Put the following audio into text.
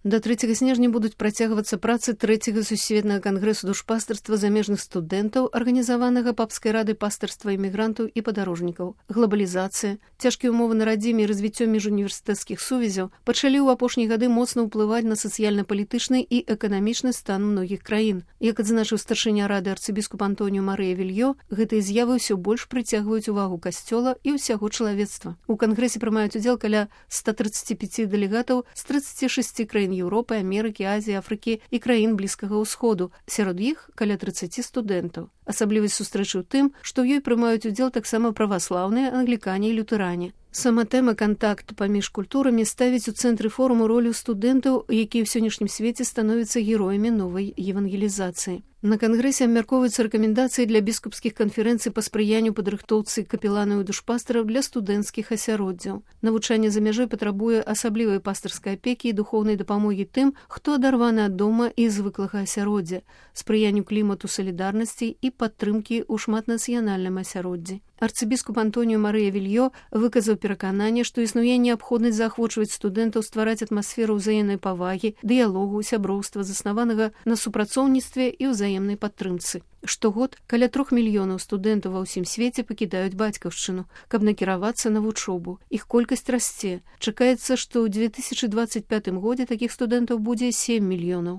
До 3 снежня будуць працягвацца працы 3-го сусветнага кангрэсу душпастарства замежных студэнтаў, арганізаванага папскай радай пастарства імігрантаў і падарожнікаў. Глобалізацыя, цяжкія ўмовы на радзіме і развіццё міжуніверсітэцкіх сувязяў пачалі ў апошнія гады моцна ўплываць на сацыяльна-палітычны і эканамічны стан многіх краін. Як адзначыў старшыня рады арцыбіскуп Антоніо Марыя Вільё, гэтыя з'явы ўсё больш прыцягваюць увагу касцёла і ўсяго чалавецтва. У кангрэсе прымаюць удзел каля 135 дэлегатаў з 36 краін Еўропы, Амерыкі, Азіі, Афрыкі і краін Блізкага ўсходу. Сярод іх каля 30 студэнтаў. Асаблівасць сустрэчы ў тым, што ў ёй прымаюць удзел таксама праваслаўныя, англікане і лютэране. Сама тэма кантакту паміж культурамі ставіць у цэнтры форуму ролю студэнтаў, якія ў сённяшнім свеце становяцца героямі новай евангелізацыі. На кангрэсе абмяркоўваюцца рэкамендацыі для біскупскіх канферэнцый па спрыянню падрыхтоўцы капеланаў і душпастараў для студэнцкіх асяроддзяў. Навучанне за мяжой патрабуе асаблівай пастырскай апекі і духоўнай дапамогі тым, хто адарваны ад дома і звыклага асяроддзя, спрыянню клімату салідарнасці і падтрымкі ў шматнацыянальным асяроддзі. Арцыбіскуп Антоніо Марыя Вільё выказаў перакананне, што існуе неабходнасць заахвочваць студэнтаў ствараць атмасферу ўзаемнай павагі, дыялогу, сяброўства, заснаванага на супрацоўніцтве і ўзаемнай падтрымцы. Штогод каля 3 мільёнаў студэнтаў ва ўсім свеце пакідаюць бацькаўшчыну, каб накіравацца на вучобу. Іх колькасць расце. Чакаецца, што ў 2025 годзе такіх студэнтаў будзе 7 мільёнаў.